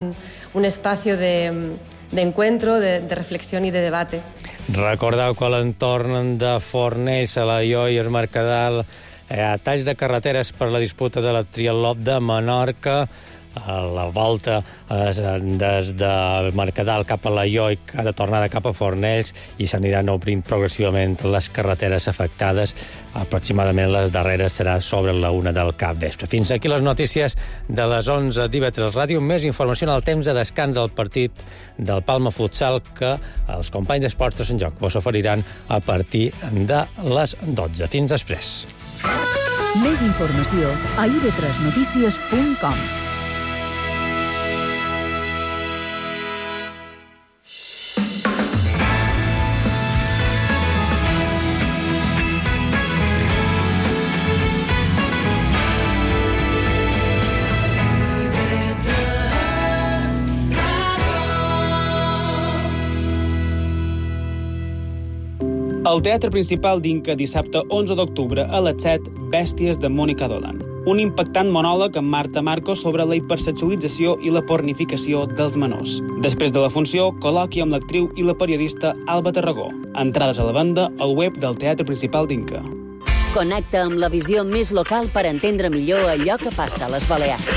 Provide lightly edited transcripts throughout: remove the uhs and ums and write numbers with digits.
un espacio de encuentro, de reflexión y de debate. Recordeu que a l'entorn de Fornells, Alaior i el Mercadal hi ha talls de carreteres per la disputa de la Triatló de Menorca. La volta és des de Mercadal cap a Alaior i cada tornada cap a Fornells, i s'aniran obrint progressivament les carreteres afectades. Aproximadament les darreres serà sobre la 1 del capvespre. Fins aquí les notícies de les 11 d'IV3 Ràdio. Més informació en el temps de descans del partit del Palma Futsal, que els companys d'Esports de Sant Joc vos oferiran a partir de les 12. Fins després. Més informació a ib3notícies.com. Al Teatre Principal d'Inca, dissabte 11 d'octubre a les 7, Bèsties de Mònica Dolan. Un impactant monòleg amb Marta Marcos sobre la hipersexualització i la pornificació dels menors. Després de la funció, col·loqui amb l'actriu i la periodista Alba Tarragó. Entrades a la venda al web del Teatre Principal d'Inca. Connecta amb la visió més local per entendre millor allò que passa a les Balears.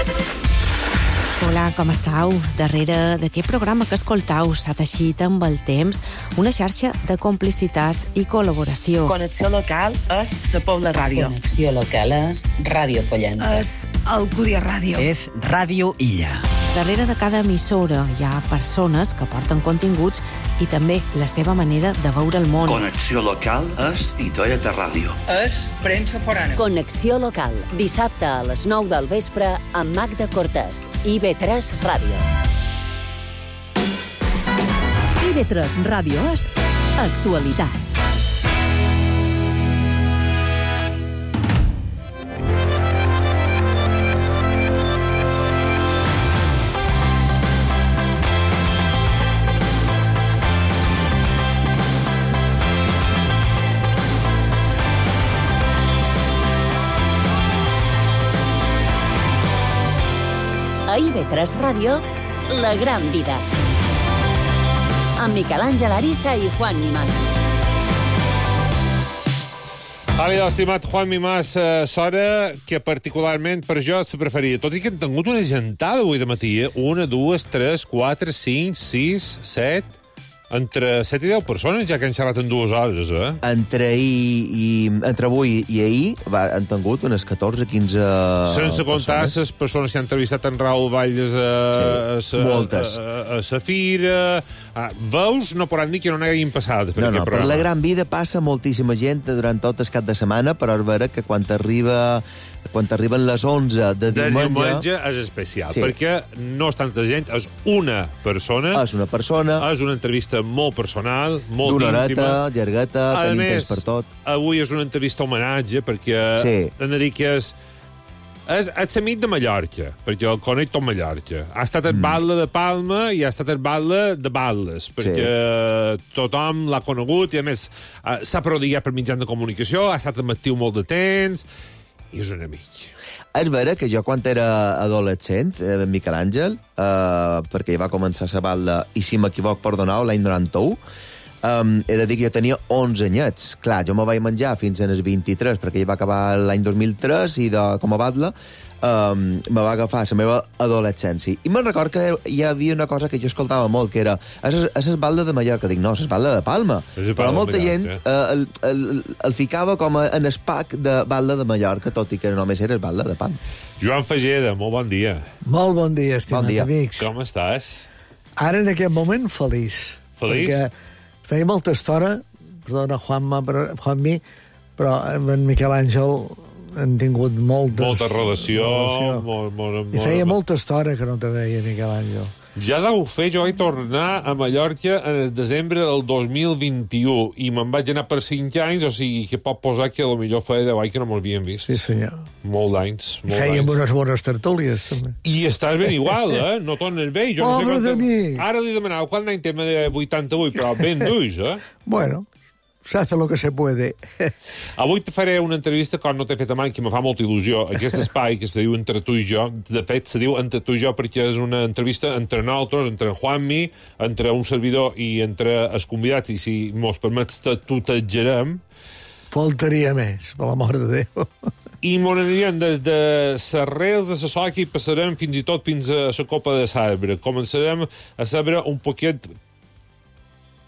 Hola, com estàu? Darrere d'aquest programa que escoltau s'ha teixit amb el temps una xarxa de complicitats i col·laboració. Connexió local és la Pobla Ràdio. Connexió local és Ràdio Pollença. És Alcúdia Ràdio. És Ràdio Illa. Darrere de cada emissora hi ha persones que porten continguts i també la seva manera de veure el món. Connexió local és Titoia de Ràdio. És premsa forana. Connexió local, dissabte a les 9 del vespre amb Magda Cortés, IB3 Ràdio. IB3 Ràdio és actualitat. A IB3 Ràdio, La Gran Vida. Amb Miquel Àngel Ariza i Juan Mimàs. Àlida, estimat Juan Mimàs, s'hora que particularment per jo se preferia. Tot i que hem tingut una gentada avui de matí, 1, 2, 3, 4, 5, 6, 7... Entre 7 i 10 persones ja que han xerrat en 2 hores, eh? Entre avui i ahir han tingut unes 14-15 sense comptar les persones que han entrevistat en Raül Valles a la fira. Veus, no podran dir que no n'hagin passat. Per la Gran Vida passa moltíssima gent durant tot el cap de setmana, però és vera que quan arriben les 11 de diumenge és especial, perquè no és tanta gent, és una persona. És una entrevista molt personal, molt íntima. D'una horeta, llargueta, tenim temps per tot. Avui és una entrevista homenatge, perquè hem de dir que és l'amic de Mallorca, perquè el conec tot Mallorca. Ha estat el batle de Palma i ha estat el batle de Balles, perquè tothom l'ha conegut i, a més, s'ha prodigat per mitjans de comunicació, ha estat actiu molt de temps i és un amic. És vera que jo, quan era adolescent, Miquel Àngel, perquè ja va començar a batlle, i si m'equivoc, perdoneu, l'any 91, he de dir que jo tenia 11 anyets. Clar, jo me vaig menjar fins als 23, perquè ja va acabar l'any 2003, i com a batlle me va agafar la meva adolescència. I me'n record que hi havia una cosa que jo escoltava molt, que era és el batlle de Mallorca. Dic, no, és el batlle de Palma. Però molta gent el ficava com en el pack de batlle de Mallorca, tot i que només era el batlle de Palma. Joan Fageda, molt bon dia. Molt bon dia, estimat amics. Com estàs? Ara, en aquest moment, feliç. Feliç? Perquè feia molta estona, perdona, Juanmi, però amb en Miquel Àngel han tingut molta relació. I feia molta estona que no te veia, Miquel Àngel. Ja deu fer, jo vaig tornar a Mallorca en el desembre del 2021 i me'n vaig anar per 5 anys, o sigui que pot posar que potser feia 10 anys que no m'havien vist. Sí, senyor. Molt d'anys. Fèiem unes bones tertúlies, també. I estàs ben igual, eh? No tornes bé. Pobre de mi! Ara li demanava quant any tema de 88, però ben duix, eh? Bueno, se hace lo que se puede. Avui te faré una entrevista que no t'he fet mai, que me fa molta il·lusió. Aquest espai que se diu Entre tu i jo, de fet se diu Entre tu i jo perquè és una entrevista entre nosaltres, entre en Juanmi, entre un servidor i entre els convidats, i si mos permets tutejarem. Faltaria més, per l'amor de Déu. I m'on anirem des de les rels de la soca i passarem fins i tot fins a la copa de sabre. Començarem a saber un poquet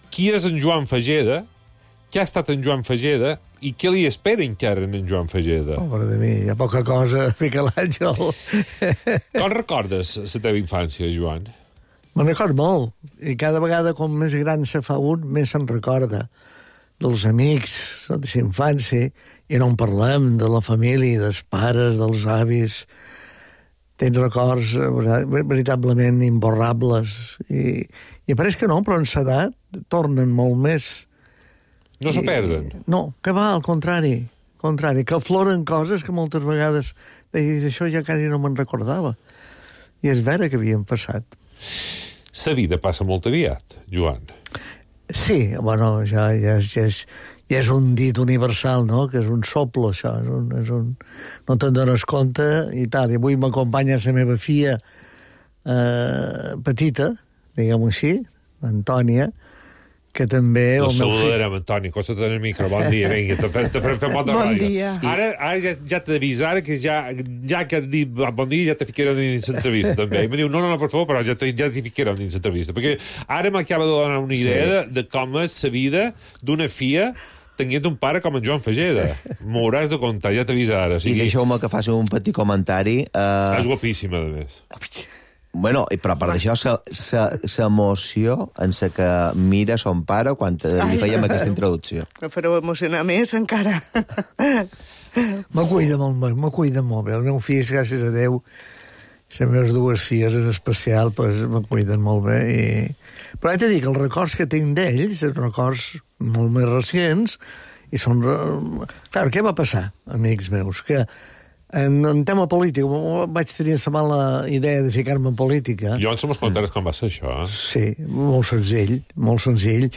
qui és en Joan Fageda, què ha estat en Joan Fageda i què li espera encara en Joan Fageda. Pobre de mi, hi ha poca cosa, Miquel Àngel. Com recordes la teva infància, Joan? Me'n record molt, i cada vegada com més gran se fa un, més se'n recorda dels amics, de la infància, i no en parlem, de la família, dels pares, dels avis. Tens records veritablement imborrables. I pareix que no, però en l'edat tornen molt més. No se perden? No, que va, al contrari, que afloren coses que moltes vegades deies, això ja quasi no me'n recordava. I és vera que havien passat. La vida passa molt aviat, Joan. Sí, bueno, ja és un dit universal, no?, que és un soplo, això, no te'n dones compte i tal. I avui m'acompanya la meva filla petita, diguem-ho així, Antònia, que també... La saludarem, Antoni, costa tenir el micro. Bon dia, vinga, te fem molt de ràdio. Bon dia. Ara ja t'he d'avisar que ja que has dit bon dia ja te ficarem dins l'entrevista, també. I em diu, no, per favor, però ja t'hi ficarem dins l'entrevista. Perquè ara m'acaba de donar una idea de com és la vida d'una filla tenint un pare com en Joan Fageda. M'hauràs de contar, ja t'avisa ara. I deixeu-me que faci un petit comentari. És guapíssima, a més. Bueno, però per d'això, l'emoció en la que mira son pare quan li fèiem aquesta introducció. Me fareu emocionar més, encara. Me cuida molt bé. El meu fill, gràcies a Déu, les meves dues filles en especial, pues, me cuiden molt bé. Però he de dir que els records que tinc d'ells, els records molt més recents, i són... Clar, què va passar, amics meus? Que en tema polític, vaig tenir la mala idea de ficar-me en política. Jo ens som contaràs com va ser això, eh? Sí, molt senzill.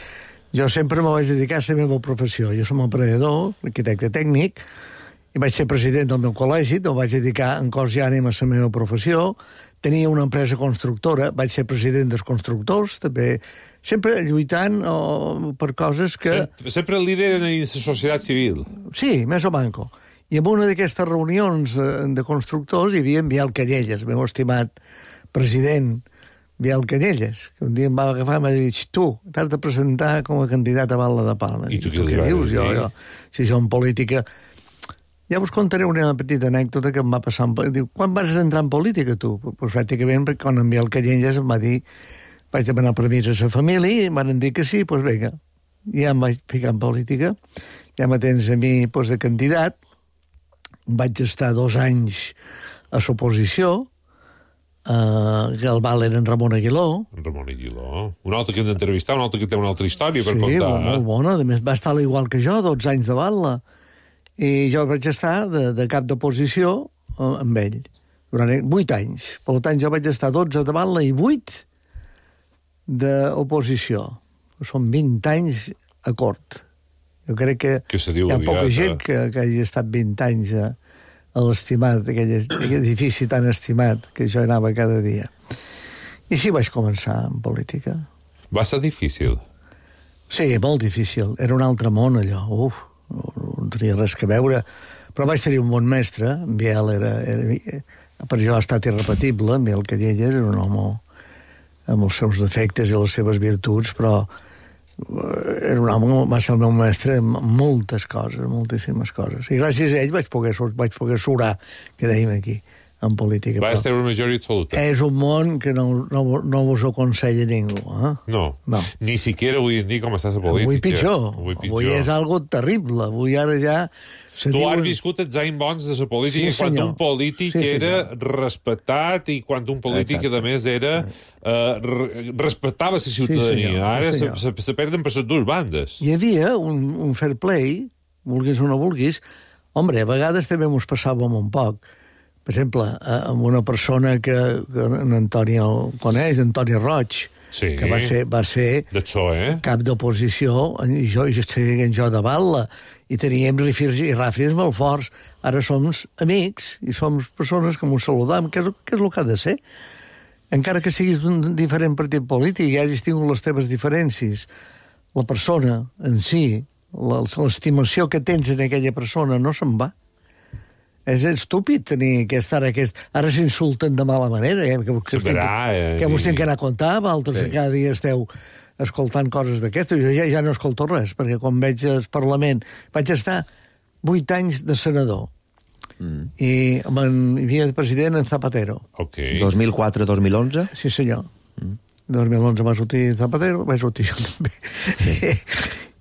Jo sempre me vaig dedicar a la meva professió. Jo som emprenedor, arquitecte tècnic, i vaig ser president del meu col·legi, em vaig dedicar en cos i ànima a la meva professió. Tenia una empresa constructora, vaig ser president dels constructors, també, sempre lluitant per coses que... Sempre líder en la societat civil. Sí, més o manco. I en una d'aquestes reunions de constructors hi havia en Biel Canyelles, el meu estimat president Biel Canyelles, que un dia em va agafar i m'ha dit, tu, t'has de presentar com a candidat a Batlle de Palma. I tu què li vas dir? Jo, si jo en política... Ja us contaré una petita anècdota que em va passar. Diu, quan vas entrar en política, tu? Pues pràcticament, perquè quan en Biel Canyelles em va dir, vaig demanar permís a la família, i em van dir que sí, doncs vinga. Ja em vaig ficar en política, ja me tens a mi de candidat. Vaig estar 2 anys a l'oposició, que el val era en Ramon Aguiló. Ramon Aguiló. Un altre que hem d'entrevistar, un altre que té una altra història per contar. Sí, molt bona. A més, va estar igual que jo, 12 anys de Batlle. I jo vaig estar de cap d'oposició amb ell durant 8 anys. Per tant, jo vaig estar 12 de Batlle i 8 d'oposició. Són 20 anys a cort. Jo crec que hi ha poca gent que hagi estat 20 anys a l'estimat, aquell edifici tan estimat que jo anava cada dia. I així vaig començar en política. Va ser difícil? Sí, molt difícil. Era un altre món, allò. No tenia res que veure. Però vaig tenir un bon mestre. En Biel per jo ha estat irrepetible. En Biel Canyelles era un home amb els seus defectes i les seves virtuts, però era un home, va ser el meu mestre en moltes coses, moltíssimes coses. I gràcies a ell vaig poder surar, que dèiem aquí, en política. Va estar una majoria absoluta. És un món que no vos ho aconsella ningú. No. Ni siquiera avui en dia com està la política. Avui pitjor. Avui és algo terrible. Avui ara ja... Tu has viscut els anys bons de la política, quan un polític era respectat i quan un polític, a més, respectava la ciutadania. Ara se perden per les dues bandes. Hi havia un fair play, vulguis o no vulguis. Hombre, a vegades també ens passàvem un poc. Per exemple, amb una persona que en Antoni el coneix, Antoni Roig, que va ser cap d'oposició, i jo de Batlle, i teníem rifis i ràfies molt forts. Ara som amics i som persones que m'ho saludam, que és el que ha de ser. Encara que siguis d'un diferent partit polític i hagis tingut les teves diferències, la persona en si, l'estimació que tens en aquella persona no se'n va. És estúpid tenir ara s'insulten de mala manera, que vos tenen que anar a contar, altres cada dia esteu escoltant coses d'aquestes. Jo ja no escolto res, perquè quan veig al Parlament vaig estar 8 anys de senador i hi havia de president en Zapatero. 2004-2011? Sí, senyor. 2011 va sortir Zapatero, vaig sortir jo també.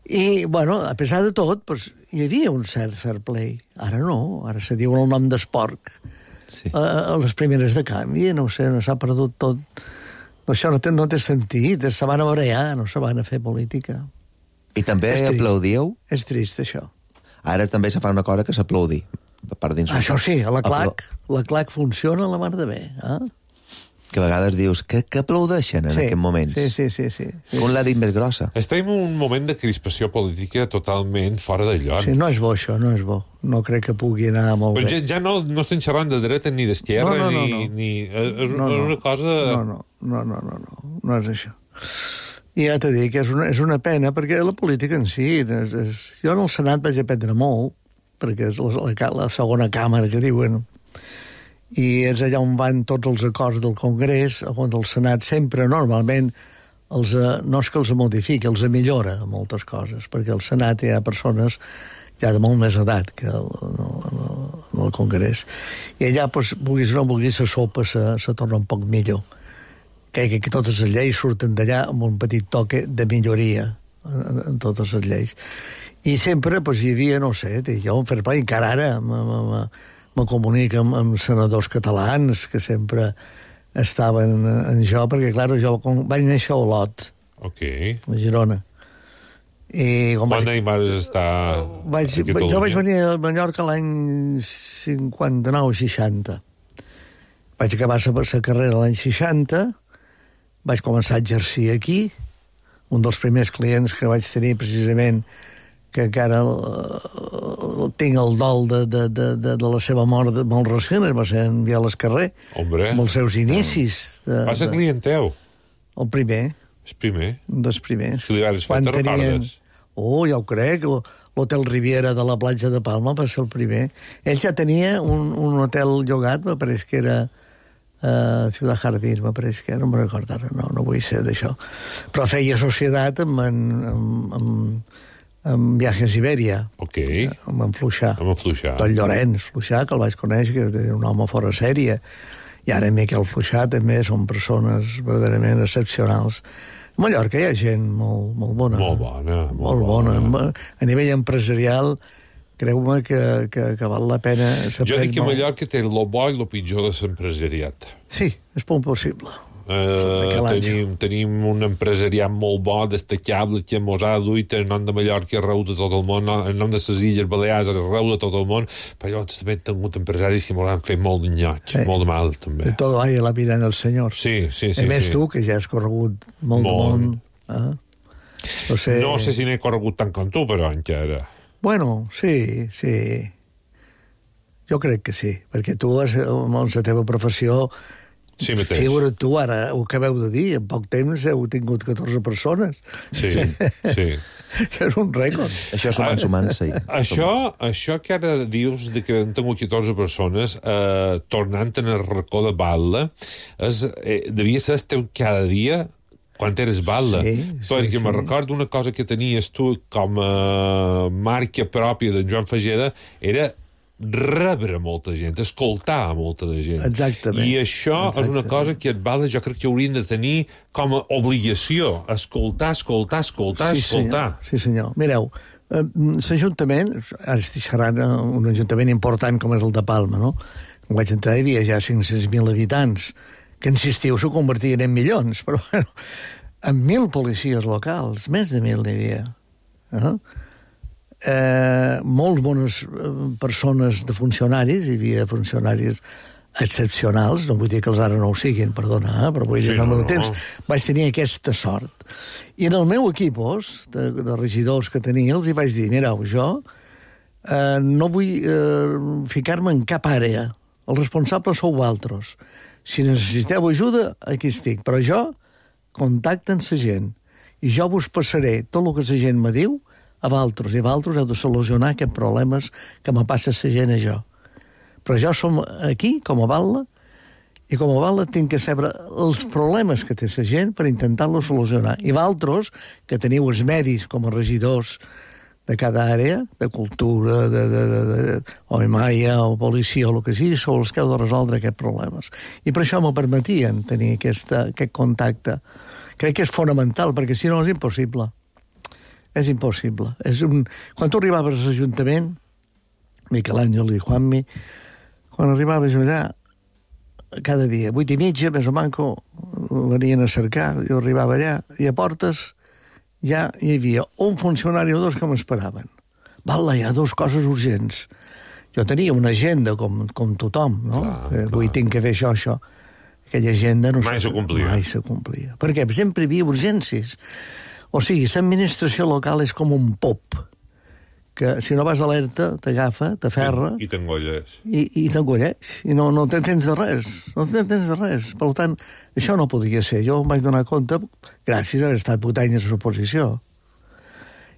I, bueno, a pesar de tot, pues, hi havia un cert fair play. Ara no, ara se diu el nom d'Esporc. A les primeres de canvi, no sé, no s'ha perdut tot. Això no té sentit, se van a barallar, no se van a fer política. I també aplaudíeu? És trist, això. Ara també se fa una cosa que s'aplaudi. Això sí, la clac funciona a la mar de bé, que a vegades dius que aplaudeixen en aquests moments. Sí. Com l'ha dit més grossa. Estem en un moment de crispació política totalment fora de lloc. Sí, no és bo això, no és bo. No crec que pugui anar molt bé. Ja no estem xerrant de dreta ni d'esquerra, ni... És una cosa... No és això. I ja t'he dit que és una pena, perquè la política en si... Jo en el Senat vaig aprendre molt, perquè és la segona càmera que diuen... i és allà on van tots els acords del Congrés, on el Senat sempre, normalment, no és que els modifiqui, els millora moltes coses, perquè al Senat hi ha persones ja de molt més edat que el Congrés. I allà, vulguis o no vulguis, la sopa se torna un poc millor. Crec que totes les lleis surten d'allà amb un petit toque de milloria en totes les lleis. I sempre hi havia, no sé, jo un fair play, encara ara me comunico amb senadors catalans que sempre estaven en jo, perquè, clar, jo vaig néixer a Olot, a Girona. Quan Neymar està a Catalunya? Jo vaig venir a Mallorca l'any 59-60. Vaig acabar la carrera l'any 60, vaig començar a exercir aquí. Un dels primers clients que vaig tenir, precisament, que encara tinc el dol de la seva mort molt recent, va ser en Vial Escarrer, amb els seus inicis. Va ser client teu? El primer. El primer? Un dels primers. Que li vas fer, te recordes? Ja ho crec. L'Hotel Riviera de la platja de Palma va ser el primer. Ell ja tenia un hotel llogat, me pareix que era Ciudad Jardín, me pareix que era, no me'n recordo ara, no vull ser d'això. Però feia societat amb Viajes Iberia. Amb Fluixà. Tot Llorenç Fluixà, que el vaig conèixer, que era un home fora sèrie. I ara Miquel Fluixà també són persones verdaderament excepcionals. A Mallorca hi ha gent molt bona. Molt bona. A nivell empresarial, creu-me que val la pena... Jo dic que a Mallorca té lo bo i lo pitjor de l'empresariat. Sí, és molt possible. Tenim un empresariat molt bo, destacable, que mos ha duit en nom de Mallorca arreu de tot el món, en nom de les Illes Balears arreu de tot el món, però llavors també hem tingut empresaris que mos han fet molt d'enyoig, molt de mal, també. De tot hay a la vida del senyor. Sí. A més, tu, que ja has corregut molt de món. No sé si n'he corregut tant com tu, però encara. Bueno, sí. Jo crec que sí, perquè tu, amb la teva professió... Sí, mateix. Figura't tu, ara, ho acabeu de dir, en poc temps heu tingut 14 persones. Sí. Això és un rècord. Això sumant, sí. Això que ara dius de que han tingut 14 persones, tornant en el racó de Batlle, devia ser esteu cada dia quan eres Batlle. Perquè me recordo una cosa que tenies tu com a marca pròpia de Joan Fageda, era rebre molta gent, escoltar molta de gent. Exactament. I això és una cosa que et Batlle jo crec que haurien de tenir com a obligació. Escoltar. Sí, senyor. Mireu, l'Ajuntament, ara estic xerrant un ajuntament important com és el de Palma, no? Quan vaig entrar hi havia ja 500.000 habitants, que en estiu s'ho convertien en milions, però bueno, amb 1.000 policies locals, més de 1.000 n'hi havia. Molt bones persones de funcionaris, hi havia funcionaris excepcionals, no vull dir que els ara no ho siguin, perdona, però vull dir que en el meu temps vaig tenir aquesta sort. I en el meu equip de regidors que tenia, els hi vaig dir, mireu, jo no vull ficar-me en cap àrea. Els responsables sou vosaltres. Si necessiteu ajuda, aquí estic. Però jo, contacte amb la gent. I jo vos passaré tot el que la gent me diu a vosaltres. I vosaltres heu de solucionar aquests problemes que me passa la gent a jo. Però jo som aquí, com a Batlle, i com a Batlle tinc que saber els problemes que té la gent per intentar-los solucionar. I vosaltres, que teniu els medis com a regidors de cada àrea, de cultura, o EMAIA, o policia, o el que sigui, sou els que heu de resoldre aquests problemes. I per això m'ho permetien tenir aquest contacte. Crec que és fonamental, perquè si no és impossible. És impossible. Quan tu arribaves a l'Ajuntament, Miquel Àngel i Juanmi, quan arribaves allà, cada dia, 8:30, més o manco, venien a cercar, jo arribava allà, i a portes ja hi havia un funcionari o dos que m'esperaven. Batlle, hi ha dues coses urgents. Jo tenia una agenda com tothom, no? Avui tinc que fer això. Aquella agenda no mai se complia. Mai se complia. Perquè sempre hi havia urgències. O sigui, l'administració local és com un pop, que si no vas alerta, t'agafa, t'aferra... I t'engolles. I t'engolles. I no tens de res. No tens de res. Per tant, això no podia ser. Jo em vaig donar compte gràcies a haver estat 8 anys a l'oposició.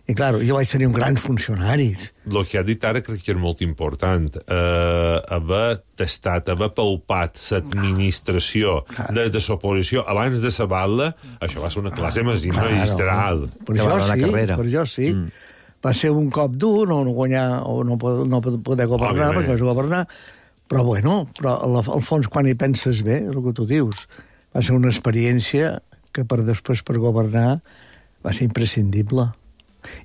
I, clar, jo vaig tenir un gran funcionari. El que ha dit ara crec que és molt important. Haver tastat, haver palpat l'administració des de l'oposició abans de la Batlle, això va ser una classe magistral. Per jo sí. Va ser un cop dur, no guanyar o no poder governar, perquè vas governar, però bueno, al fons quan hi penses bé, el que tu dius, va ser una experiència que després per governar va ser imprescindible.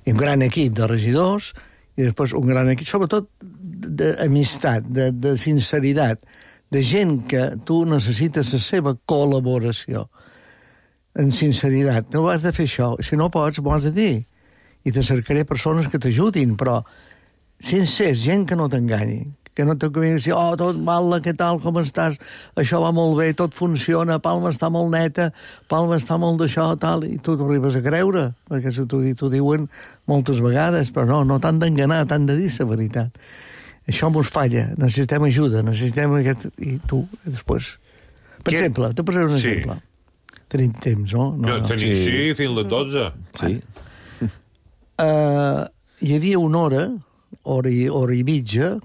I un gran equip de regidors, i després un gran equip, sobretot d'amistat, de sinceritat, de gent que tu necessites la seva col·laboració. En sinceritat, no has de fer això, si no pots, m'ho has de dir. I te cercaré persones que t'ajudin, però sincers, gent que no t'enganyi, que no t'acabin de dir, tot Batlle, què tal, com estàs, això va molt bé, tot funciona, Palma està molt neta, Palma està molt d'això, tal, i tu t'ho arribes a creure, perquè t'ho diuen moltes vegades, però no t'han d'enganar, t'han de dir la veritat. Això mos falla, necessitem ajuda, necessitem aquest... I tu, després... Per exemple, te posaré un exemple. Tenim temps, no? Sí, fins les 12. Sí. Hi havia una hora i mitja,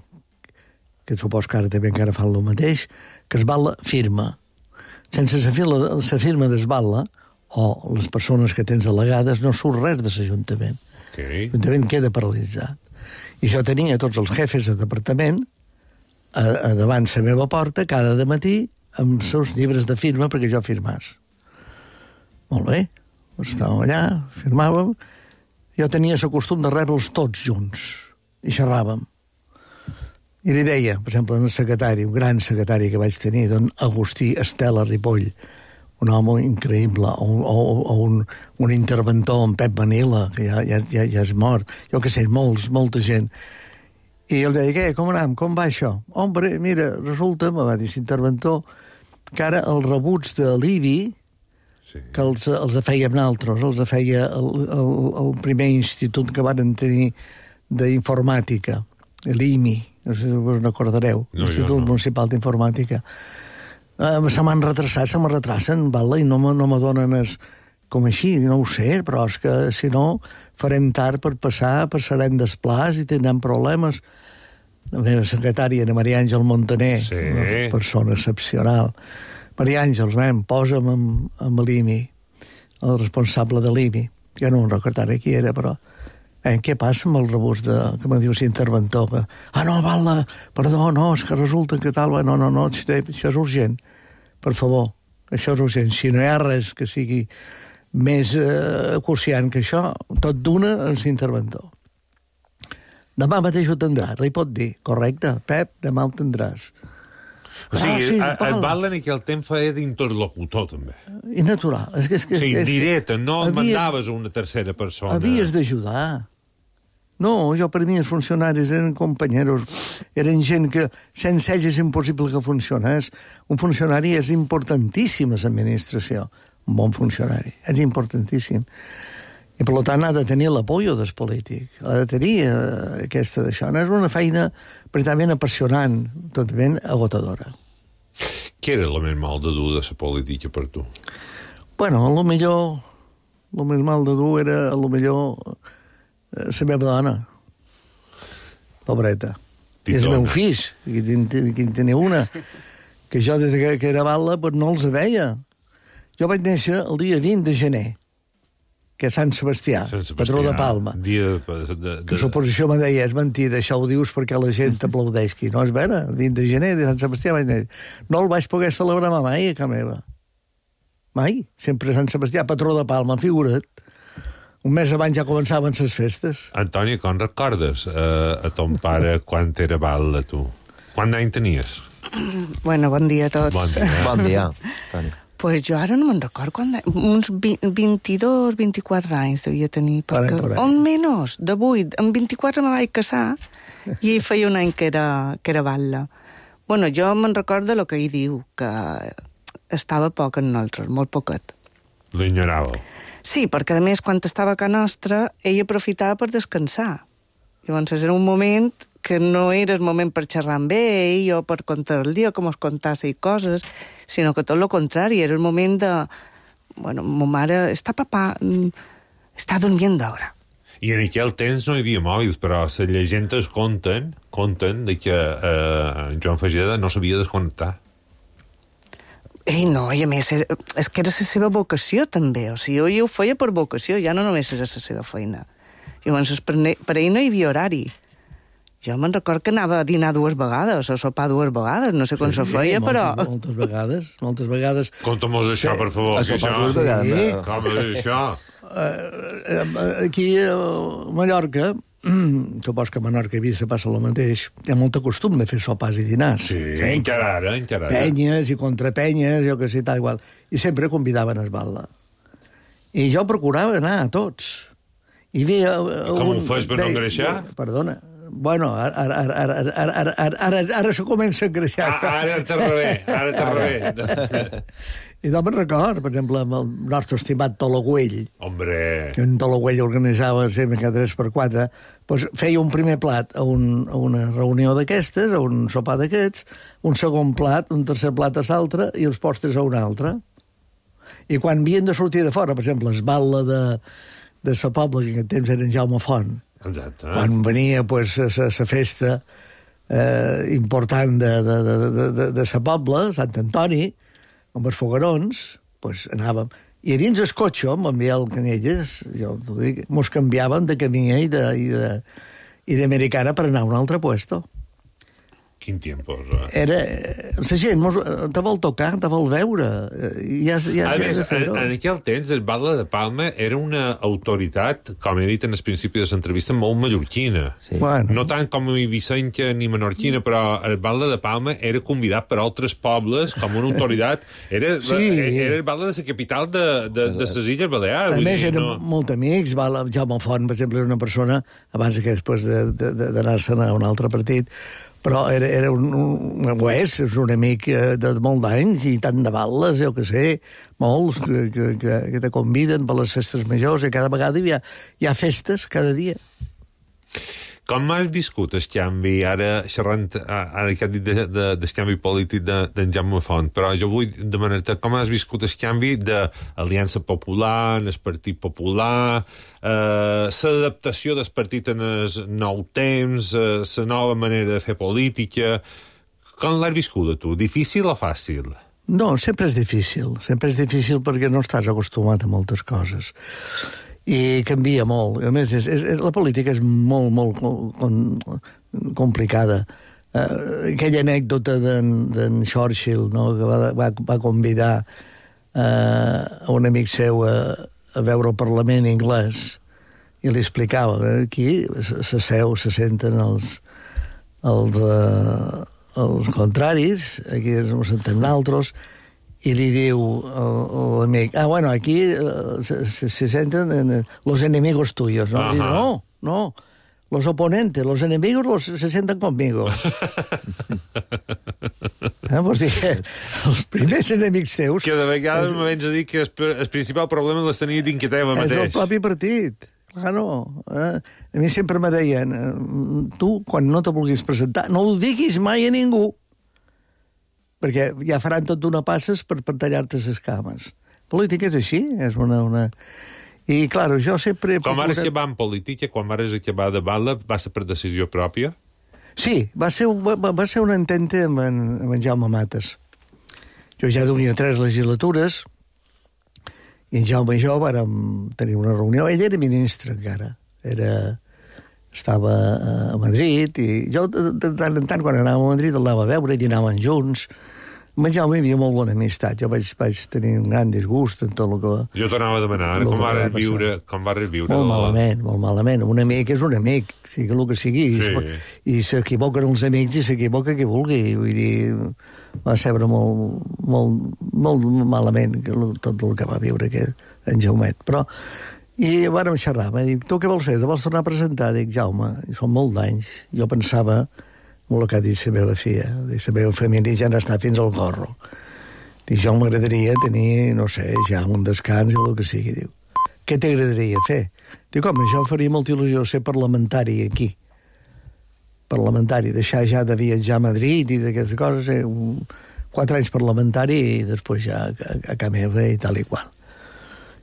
que supos que ara també encara fan el mateix, que es Batlle firma. Sense la firma del Batlle, o les persones que tens delegades, no surt res de l'Ajuntament. L'Ajuntament queda paralitzat. I jo tenia tots els jefes de departament a davant la meva porta cada dematí amb els seus llibres de firma perquè jo firmàs. Molt bé. Estàvem allà, firmàvem. Jo tenia el costum de rebre'ls tots junts i xerràvem. I li deia, per exemple, un secretari, un gran secretari que vaig tenir, don Agustí Estela Ripoll, un home increïble, o un interventor, en Pep Manila, que ja és mort, jo que sé, molta gent. I ell deia, què, com anem, com va això? Hombre, mira, resulta, me va dir l'interventor, que ara els rebuts de l'IBI, que els fèiem nosaltres, els feia el primer institut que van tenir d'informàtica, l'IMI, no sé si us n'acordareu, l'Institut Municipal d'Informàtica. Se m'han retrasat, se me retrasen, Batlle, i no me donen com així, no ho sé, però és que si no farem tard per passarem desplàs i tindrem problemes. La meva secretària, Maria Àngel Montaner, una persona excepcional. Maria Àngels, posa'm amb l'IMI, el responsable de l'IMI. Jo no em recordaré qui era, però... què passa amb el rebús que me diu l'interventor? No, Batlle, perdó, no, és que resulta que tal... No, això és urgent. Per favor, això és urgent. Si no hi ha res que sigui més acuciant que això, tot d'una és l'interventor. Demà mateix ho tindràs, li pot dir. Correcte, Pep, demà ho tindràs. O sigui, el Batlle en aquell temps feia d'interlocutor, també. I natural. O sigui, directe, no el mandaves a una tercera persona. Havies d'ajudar. No, per mi els funcionaris eren companyeros, eren gent que sense ells és impossible que funcionés. Un funcionari és importantíssim a l'administració, un bon funcionari, és importantíssim. I per tant ha de tenir l'apoyo del polític, ha de tenir aquesta d'això. No és una feina pretament apassionant, totalment agotadora. Què era el més mal de dur de la política per tu? Bueno, el més mal de dur era, la meva dona, pobreta. I els meus fills, que en tenia una, que jo des que era bala no els veia. Jo vaig néixer el dia 20 de gener, que és Sant Sebastià, patró de Palma. Que l'oposició me deia, és mentida, això ho dius perquè la gent t'aplaudeix aquí. No, és vera, el 20 de gener de Sant Sebastià vaig néixer. No el vaig poder celebrar mai a casa meva. Mai. Sempre Sant Sebastià, patró de Palma, figura't. Un mes abans ja començaven les festes. Antoni, com recordes a ton pare quan era batlle, tu? Quant d'any tenies? Bueno, bon dia a tots. Bon dia, Antoni. Pues jo ara no me'n record quan... Uns 22, 24 anys devia tenir. Perquè, on menys, de 8. En 24 me vaig casar i feia un any que era batlle. Bueno, jo me'n recordo el que ell diu, que estava poc en nosaltres, molt poquet. L'ignoràveu? Sí, perquè a més, quan estava a casa nostra, ell aprofitava per descansar. Llavors era un moment que no era el moment per xerrar amb ell o per contar el dia, com es contase i coses, sinó que tot el contrari, era el moment de... Bueno, ma mare està papà, està dormint d'hora. I en aquell temps no hi havia mòbils, però les llegendes conten de que Joan Fageda no sabia desconnectar. Ei, no, i a més, és que era la seva vocació, també. O sigui, ell ho feia per vocació, ja no només era la seva feina. Llavors, per ell no hi havia horari. Jo me'n record que anava a dinar 2 vegades, o a sopar 2 vegades, no sé com s'ho feia, però... Moltes vegades. Conta'm-nos això, per favor. A sopar 2 vegades. Com és això? Aquí a Mallorca, supos que a Menorca i Eivissa passa el mateix, hi ha molt costum de fer sopars i dinars. Sí, encara ara. Penyes i contrapenyes, jo que sé, tal igual. I sempre convidaven a esbal·la. I jo procurava anar a tots. I veia... Com ho fes per no engreixar? Perdona. Bueno, ara se comença a engreixar. Ara t'ha rebé. I no me'n record, per exemple, amb el nostre estimat Tologüell. Hombre! Que en Tologüell organitzava sempre cada 3x4, doncs feia un primer plat a una reunió d'aquestes, a un sopar d'aquests, un segon plat, un tercer plat a l'altre i els postres a un altre. I quan havien de sortir de fora, per exemple, esbal·la de sa Pobla, que en aquest temps era en Jaume Font, exacte. Quan venia pues, la festa important de sa Pobla, Sant Antoni, amb els fogarons, pues, anàvem. I a dins el cotxe, amb el Canyelles, jo t'ho dic, mos canviàvem de camí i d'americana per anar a un altre puesto. Quin tiempo, Era... La gent te vol tocar, te vol veure. A més, en aquell temps, el batlle de Palma era una autoritat, com he dit en el principi de l'entrevista, molt mallorquina. Sí. Bueno. No tant com Eivissenca ni menorquina, però el batlle de Palma era convidat per altres pobles com una autoritat. Era el batlle de la capital de les Illes Balears. A més, eren molt amics. Jaume Font, per exemple, era una persona, abans que després d'anar-se'n a un altre partit, però és un amic de molts anys i tant de balles, jo que sé, molts que te conviden per les festes majors i cada vegada hi ha festes cada dia. Com has viscut el canvi, ara xerrant, ara que has dit del canvi polític d'en Jaume Font, però jo vull demanar-te com has viscut el canvi d'Aliança Popular, el Partit Popular, l'adaptació del partit en el nou temps, la nova manera de fer política. Com l'has viscut, tu? Difícil o fàcil? No, sempre és difícil perquè no estàs acostumat a moltes coses. I canvia molt. A més, la política és molt complicada. Aquella anècdota d'en Churchill, no?, que va convidar a un amic seu a veure el Parlament anglès i li explicava que aquí se senten els contraris, aquí ens sentem nosaltres, i li diu l'amic, bueno, aquí se senten los enemigos tuyos, no? I diu, no, Los oponentes, los enemigos se sienten conmigo. Vols dir que els primers enemics teus... Que de vegades me vens a dir que el principal problema les tenia d'inquieteva mateix. És el propi partit. Claro. A mi sempre me deien, tu, quan no te vulguis presentar, no ho diguis mai a ningú, perquè ja faran tot d'una passes per tallar-te les cames. Política és així, és una... I, clar, jo sempre... Com ara que va en política, quan vares acabar de bala, va ser per decisió pròpia? Sí, va ser un intente amb en Jaume Mates. Jo ja duia 3 legislatures, i en Jaume i jo vàrem tenir una reunió. Ell era ministre, encara. Estava a Madrid, i jo, de tant en tant, quan anàvem a Madrid, el anava a veure, i dinàvem junts. Amb en Jaume hi havia molt bona amistat. Jo vaig tenir un gran disgust en tot el que... Jo t'anava a demanar, com vares viure... Molt malament. Un amic és un amic, sigui el que sigui. Sí. I s'equivoquen els amics i s'equivoca qui vulgui. Vull dir, va ser molt malament tot el que va viure en Jaumet. Però, i vàrem xerrar, m'ha dit, tu què vols fer? Te vols tornar a presentar? Dic, Jaume, són molt d'anys. Jo pensava... el que ha dit la meva filla. La meva família ja n'està fins al gorro. Dic, jo m'agradaria tenir, no sé, ja un descans o el que sigui. Diu, què t'agradaria fer? Dic, home, jo faria molta il·lusió ser parlamentari aquí. Parlamentari, deixar ja de viatjar a Madrid i d'aquestes coses, 4 anys parlamentari i després ja a casa meva i tal i qual.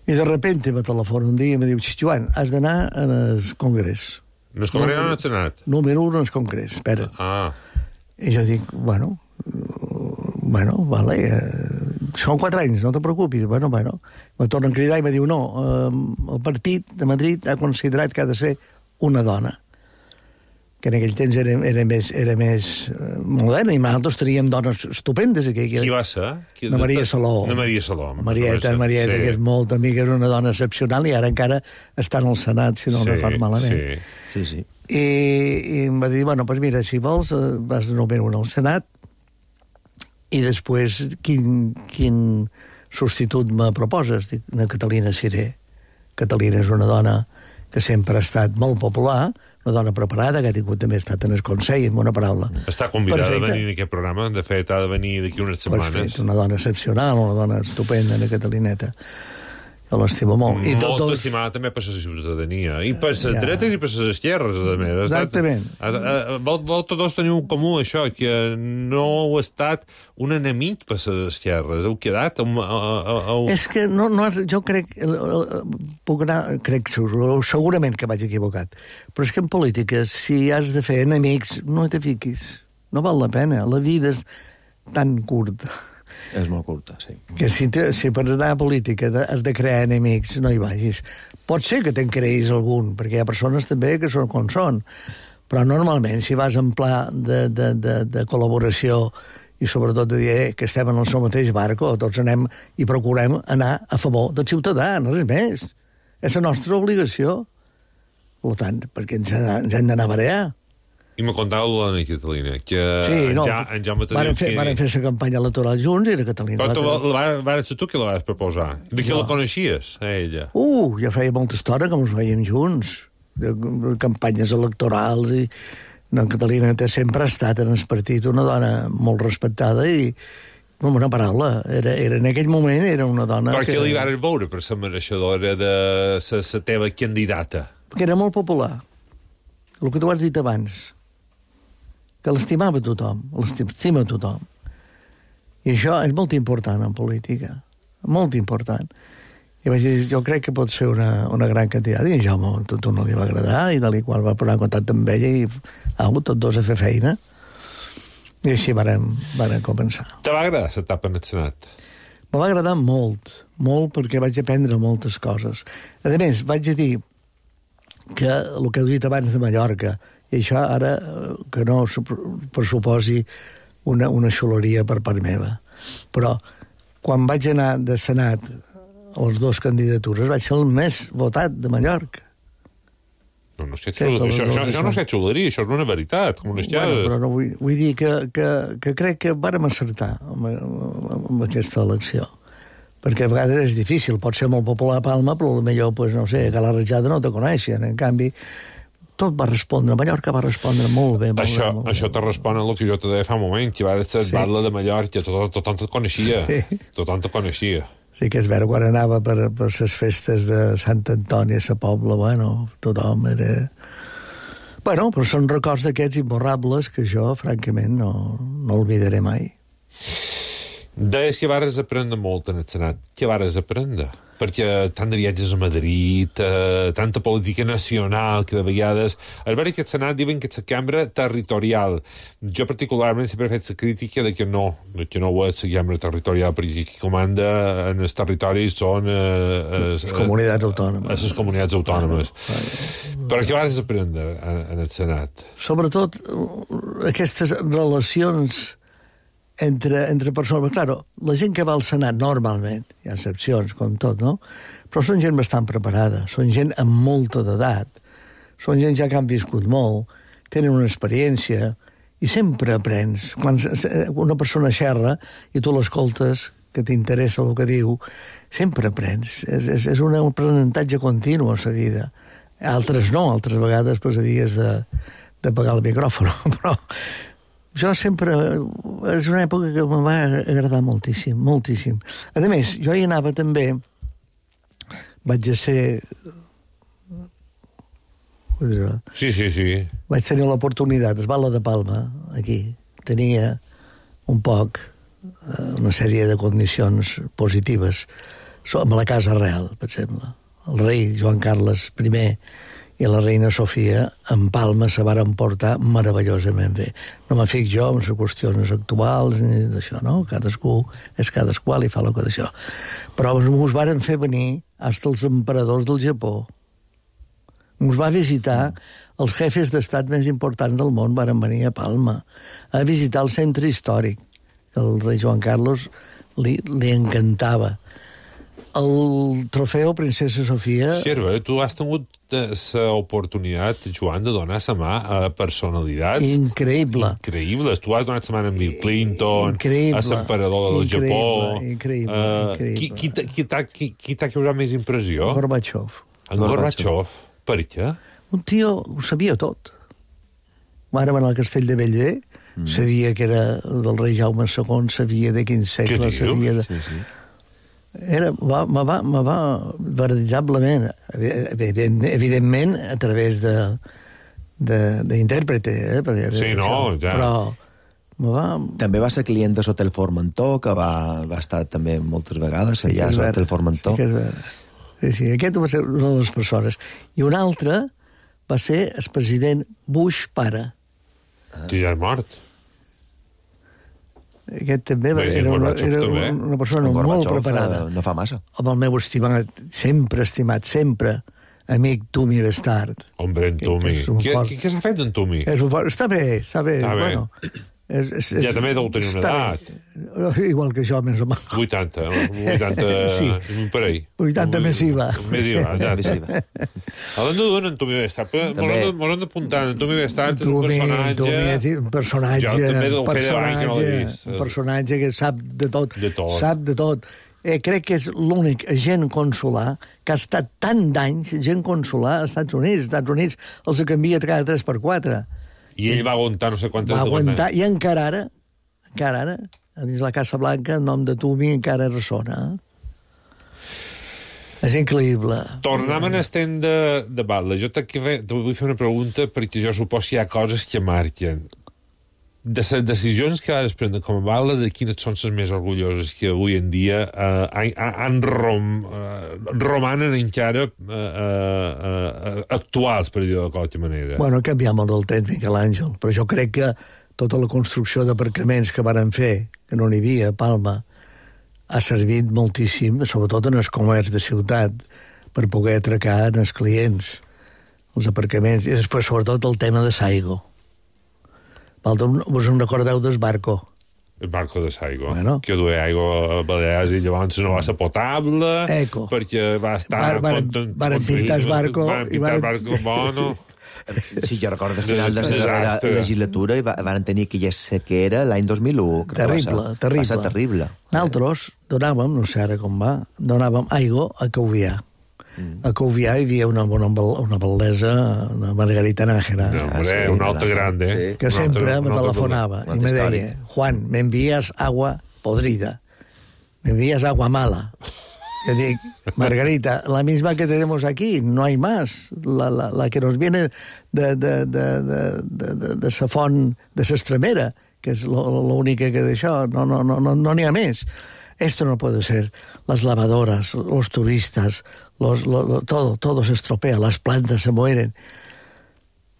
I de repente me telefona un dia i me diu, Joan, has d'anar al Congrés. No es congrés o no has anat? Número 1 no es congrés, espera. I jo dic, bueno, vale, són 4 anys, no te preocupis, bueno. Me tornen a cridar i me diu, no, el partit de Madrid ha considerat que ha de ser una dona, que en aquell temps era més moderna, i nosaltres teníem dones estupendes aquí. Qui va ser? La Maria Saló. Marieta, sí. Que és molt amiga, és una dona excepcional, i ara encara està en el Senat, si no recordo malament. Sí. I em va dir, bueno, pues mira, si vols, vas de número 1 al Senat, i després quin substitut me proposes? Dic, una Catalina Siré. Catalina és una dona que sempre ha estat molt popular, una dona preparada, que ha tingut també estat en el Consell, en una paraula. Està convidada a venir en aquest programa, de fet, ha de venir d'aquí unes setmanes. Perfecte, una dona excepcional, una dona estupenda, la Catalineta. Jo l'estima molt. Molt estimada també per la ciutadania. I per les dretes i per les esquerres, a més. Exactament. Vosaltres teniu en comú això, que no heu estat un enemic per les esquerres. Heu quedat... És que jo crec... Segurament que vaig equivocat. Però és que en política, si has de fer enemics, no te fiquis. No val la pena. La vida és tan curta. És molt curta, sí. Que si per anar a política has de crear enemics, no hi vagis. Pot ser que te'n creïs algun, perquè hi ha persones també que són com són, però normalment si vas en pla de col·laboració i sobretot de dir que estem en el seu mateix barco, tots anem i procurem anar a favor del ciutadà, no res més. És la nostra obligació. Per tant, perquè ens hem d'anar a barear. I me contava la Catalina, que en Jaume varen fer la campanya electoral junts i la Catalina... Però vas ser tu que la vas proposar. De qui la coneixies, a ella? Ja feia molta estona que ens veiem junts, de campanyes electorals, i la Catalina sempre ha estat en el partit una dona molt respectada i, amb una paraula, en aquell moment era una dona... Per què li vas veure per ser mereixedora de la teva candidata? Perquè era molt popular. El que tu has dit abans, que l'estimava tothom, l'estima tothom. I això és molt important en política, molt important. I vaig dir, jo crec que pot ser una gran candidata, i en Jaume tot no li va agradar, i de la qual va posar en contacte amb ella, i tots dos a fer feina, i així vàrem començar. Te va agradar l'etapa en el Senat? Me va agradar molt, perquè vaig aprendre moltes coses. A més, vaig dir que el que he dit abans de Mallorca, i això ara que no pressuposi una xuleria per part meva. Però quan vaig anar de Senat a les 2 candidatures vaig ser el més votat de Mallorca. No, això no és xuleria, això és una veritat. Però no vull dir que crec que vàrem acertar amb aquesta elecció. Perquè a vegades és difícil, pot ser molt popular a Palma, però potser, no sé, a la Rajada no te coneixen. En canvi, tot va respondre, Mallorca va respondre molt bé. Això te respon a el que jo te deia fa un moment, que va ser batla de Mallorca, tothom te coneixia. Tothom te coneixia. Sí que és vera, quan anava per les festes de Sant Antoni a la Pobla, tothom era... Bueno, però són records d'aquests imborrables que jo, francament, no oblidaré mai. Deies que vares aprendre molt en el Senat. Què vares aprendre? Perquè tant de viatges a Madrid, tanta política nacional, que de vegades... És vera que el Senat diuen que és la cambra territorial. Jo particularment sempre he fet la crítica de que no ho és la cambra territorial, perquè qui comanda en els territoris són... les comunitats autònomes. Les comunitats autònomes. Però què vares aprendre en el Senat? Sobretot aquestes relacions entre persones. Claro, la gent que va al Senat normalment, hi ha excepcions com tot, no? Però són gent bastant preparada, són gent amb molta d'edat, són gent ja que han viscut molt, tenen una experiència i sempre aprens. Quan una persona xerra i tu l'escoltes, que t'interessa el que diu, sempre aprens. És un aprenentatge continu a la vida. Altres no, altres vegades pues, havies de pagar el micròfon, però jo sempre... És una època que em va agradar moltíssim, moltíssim. A més, jo hi anava també... Vaig a ser... Sí. Vaig tenir l'oportunitat, es Bala de Palma, aquí. Tenia un poc una sèrie de condicions positives amb la Casa Real, per exemple. El rei Joan Carles I i la reina Sofia en Palma se varen portar meravellosament bé. No me fic jo en les qüestions actuals ni d'això, no? Cadascú és cadascú i fa el que d'això. Però us varen fer venir fins els emperadors del Japó. Us va visitar els jefes d'estat més importants del món, varen venir a Palma a visitar el centre històric, que el rei Joan Carlos li encantava. El trofeu Princesa Sofia... Sí, tu has tingut l'oportunitat, Joan, de donar la mà a personalitats... Increïbles. Tu has donat la mà a Bill Clinton, a l'emperador del Japó... Increïble. Qui t'ha causat més impressió? Gorbachev. En Gorbachev. Per què? Un tio ho sabia tot. Vàrem anar al castell de Bellver, sabia que era del rei Jaume II, sabia de quin segle, sabia de... Sí. Me va veritablement, evidentment, a través d'intèrprete, Sí, no, ja. Però també va ser client de l'Hotel Formentor, que va estar també moltes vegades allà a l'Hotel Formentor. Sí, que és vera. Sí, aquest va ser una de les persones. I un altre va ser el president Bush pare. Que ja és mort. Aquest també era una persona molt preparada. No fa massa. Amb el meu estimat, sempre, amic Tumi Bestard. Hombre, en Tumi. Què s'ha fet en Tumi? Està bé. Bueno, ja també deu tenir una edat. Igual que jo, més o menys. 80 sí. Per ahí. 80 més IVA. Més IVA, ja. Hablando d'un Antoni Bestard, m'ho hem d'apuntar. Antoni Bestard és un personatge que sap de tot. Sap de tot. Crec que és l'únic agent consular que ha estat tant d'anys, agent consular als Estats Units. Els Estats Units els canvia cada 3x4. I ell va aguantar no sé quantes... Va aguantar, i encara ara, dins la Casa Blanca, el nom de Tumi encara ressona. És increïble. Tornem en el temps de Batlle. Jo te vull fer una pregunta, perquè jo suposo que hi ha coses que marquen. De les decisions que vas prendre com a Batlle, de quines són les més orgulloses que avui en dia romanen encara actuals, per dir-ho de qualsevol manera? Bueno, canviam el del temps, Miquel Àngel, però jo crec que tota la construcció d'aparcaments que varen fer, que no n'hi havia a Palma, ha servit moltíssim, sobretot en el comerç de ciutat, per poder atracar els clients, els aparcaments, i després, sobretot, el tema de Saigo. Vos en recordeu del barco? El barco de Saigo, que duia aigua a Balears i llavors no va ser potable, perquè va estar... Varen pintar el barco... Varen pintar el barco bueno... Sí, jo recordo al final de la darrera legislatura i van tenir aquella sequera l'any 2001. Terrible. Va ser terrible. Nosaltres donàvem, no sé ara com va, donàvem aigua a Cauvià. A Covià hi havia una bellesa, una Margarita Nájera. Un altre grande. Que sempre me telefonava i me deia, Juan, me envías agua podrida, me envías agua mala. Yo digo, Margarita, la misma que tenemos aquí, no hay más. La que nos viene de sa font, de s'Estremera, que és l'única que d'això, no n'hi ha més. Esto no puede ser. Las lavadoras, los turistas, todo se estropea, las plantas se mueren.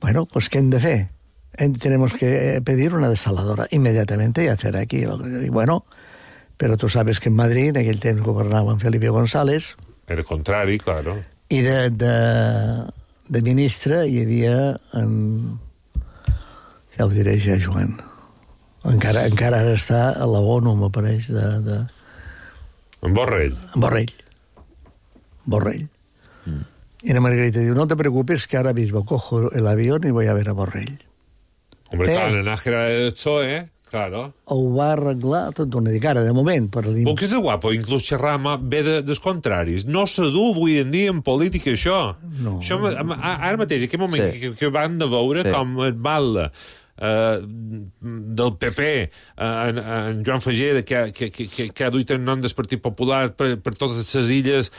Bueno, pues ¿qué han de fer? Tenemos que pedir una desaladora inmediatamente y hacer aquí. Bueno, pero tú sabes que en Madrid, en aquell temps governava en Felipe González. Era el contrari, claro. I de ministre hi havia ja ho diré ja, Joan. Encara ara està a la ONU, m'apareix, En Borrell. Y la Margarita diu, no te preocupes que ahora mismo cojo el avión y voy a ver a Borrell. Hombre, clar, en Nájera del PSOE, claro. Ho va arreglar tot d'una dic, ara, de moment. Però que és guapo, inclús xerrar bé dels contraris. No se du avui en dia en política, això. No. Això ara mateix, en aquest moment que van de veure com et balla del PP, en Joan Fageda, que ha duit el nom del Partit Popular per totes les illes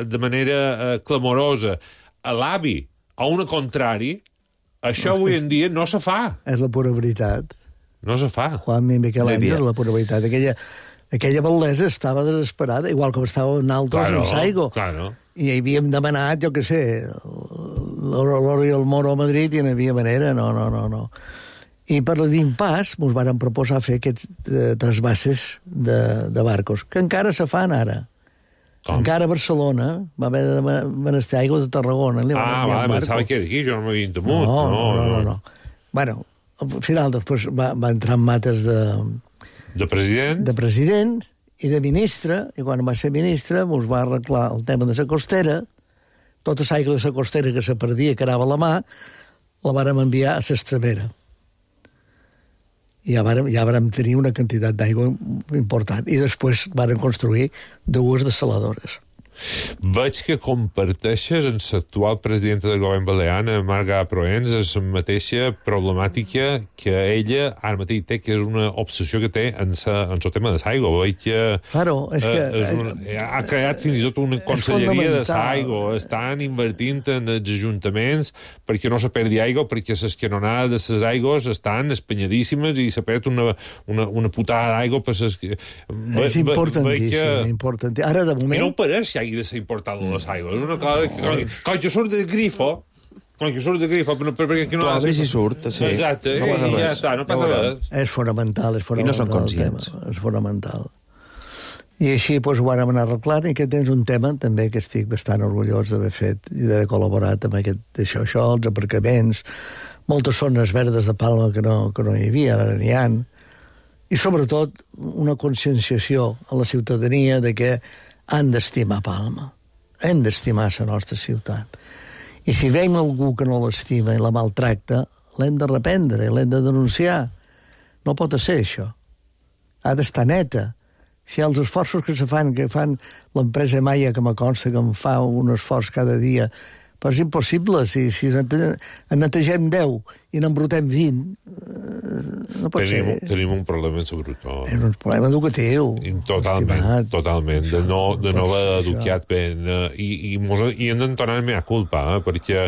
de manera clamorosa, a l'avi, a una contrari, això avui en dia no se fa. És la pura veritat. No se fa. Juan Miquel Àngel, la pura veritat. Aquella bellesa estava desesperada, igual com estava nosaltres en Saigo. Claro. I havíem demanat, jo què sé, l'Oro i el Moro a Madrid i no hi havia manera, no. I per l'impàs ens varen proposar fer aquests trasbasses de barcos, que encara se fan ara. Com? Encara a Barcelona va haver de menester aigua de Tarragona. Pensava que era aquí, jo no m'havia entemut. No. Bueno, al final després va entrar en mates de president? De president i de ministre, i quan va ser ministre ens va arreglar el tema de la costera, tota l'aigua de la costera que se perdia, que anava a la mà, la vàrem enviar a l'Estremera. I ja vàrem tenir una quantitat d'aigua important. I després vàrem construir 2 desaladores. Veig que comparteixes amb l'actual presidenta del govern balear, Marga Proens, la mateixa problemàtica que ella ara mateix té, que és una obsessió que té en el tema de l'aigua. Veig que ha creat fins i tot una conselleria de l'aigua. Estan invertint en els ajuntaments perquè no se perdi aigua, perquè les canonades de les aigües estan espanyadíssimes i se perd una putada d'aigua per les... És importantíssim. Ara, de moment... I no ho pareix que hagi de ser importat les aigües. És una cosa que... Quan jo surt del grifo, perquè no... Tu obres i surt, sí. Exacte, i ja està, no passa res. És fonamental. I no són conscients. És fonamental. I així ho vàrem anar arreglant, i aquest és un tema també que estic bastant orgullós d'haver fet i d'haver col·laborat amb això, els aparcaments, moltes zones verdes de Palma que no hi havia, ara n'hi ha, i sobretot una conscienciació a la ciutadania de que han d'estimar Palma, hem d'estimar la nostra ciutat. I si veiem algú que no l'estima i la maltracta, l'hem de reprendre, l'hem de denunciar. No pot ser això. Ha d'estar neta. Si els esforços que fan l'empresa Maia, que me consta que em fa un esforç cada dia, però és impossible. Si en netegem 10 i n'embrutem 20, no pot ser. Tenim un problema en Sabrutó. És un problema educatiu. Totalment. De no haver educat bé. I hem d'entonar mea culpa, perquè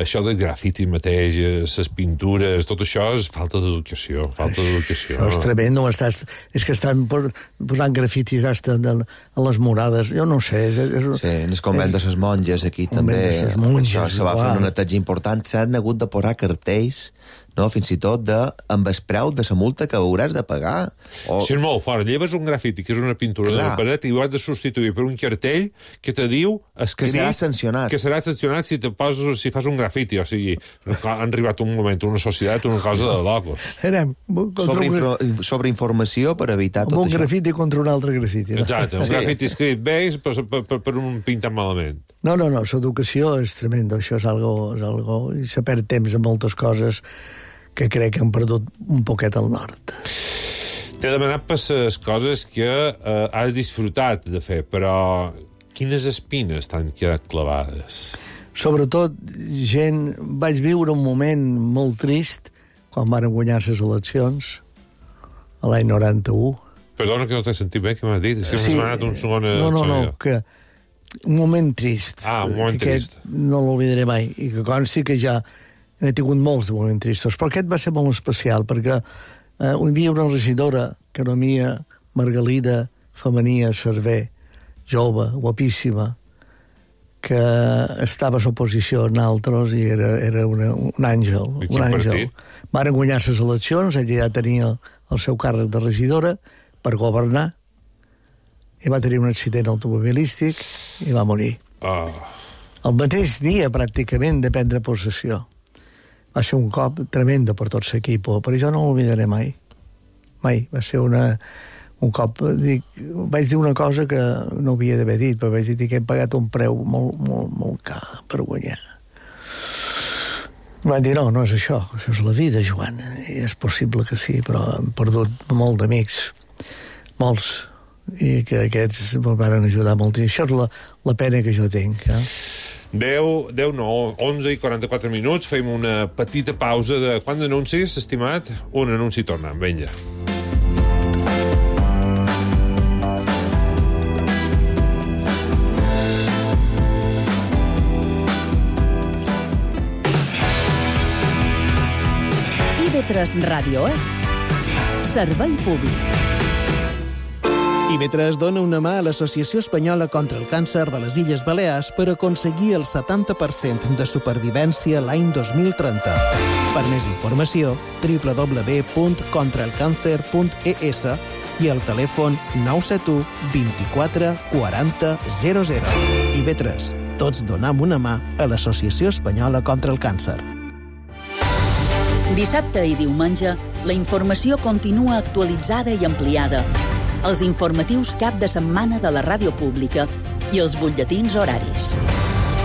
això del grafiti mateix, les pintures, tot això és falta d'educació. Això és tremendo. És que estan posant grafitis a les morades. Jo no sé. Sí, en el convent de les monges aquí també. Això se va fer una neteja important. S'han hagut de posar cartells, no? Fins i tot amb el preu de la multa que hauràs de pagar. Si és molt fort, lleves un grafiti, que és una pintura de la paret, i ho has de substituir per un cartell que te diu que serà sancionat. Que serà sancionat si fas un grafiti. O sigui, han arribat un moment, una societat, una cosa de locos. Sobre informació per evitar tot això. Un grafiti contra un altre grafiti. Exacte, un grafiti escrit bé per un pintat malament. No, l'educació és tremenda, això és algo i se perd temps en moltes coses que crec que han perdut un poquet al nord. T'he demanat per les coses que has disfrutat de fer, però quines espines t'han quedat clavades? Sobretot, vaig viure un moment molt trist quan van guanyar les eleccions, a l'any 91. Perdona que no t'he sentit bé, que m'has dit. És que m'has donat un segon... No, que un moment trist. Un moment trist. No l'oblidaré mai. I que consti que ja n'he tingut molts de moments tristos. Però aquest va ser molt especial, perquè hi havia una regidora, Canomia Margalida Femenia Cerver, jove, guapíssima, que estava a l'oposició en altres i era un àngel. Un àngel. Van guanyar les eleccions, ella ja tenia el seu càrrec de regidora per governar, i va tenir un accident automobilístic i va morir. El mateix dia, pràcticament, de prendre possessió. Va ser un cop tremendo per tot l'equip, però jo no l'oblidaré mai. Mai. Va ser un cop... Vaig dir una cosa que no havia d'haver dit, però vaig dir que he pagat un preu molt car per guanyar. Van dir, no és això és la vida, Joan. I és possible que sí, però hem perdut molt d'amics, molts, i que aquests me'n van ajudar molt. I això és la pena que jo tinc. 11:44 minuts, fem una petita pausa de quant d'anuncis, estimat? Un anunci i tornem, vinga. IB3 Ràdio és servei públic. IB3 dona una mà a l'Associació Espanyola contra el Càncer de les Illes Balears per aconseguir el 70% de supervivència l'any 2030. Per més informació, www.contraelcancer.es i el telèfon 971 24 40 00. IB3. Tots donem una mà a l'Associació Espanyola contra el Càncer. Dissabte i diumenge, la informació continua actualitzada i ampliada. Els informatius cap de setmana de la ràdio pública i els butlletins horaris.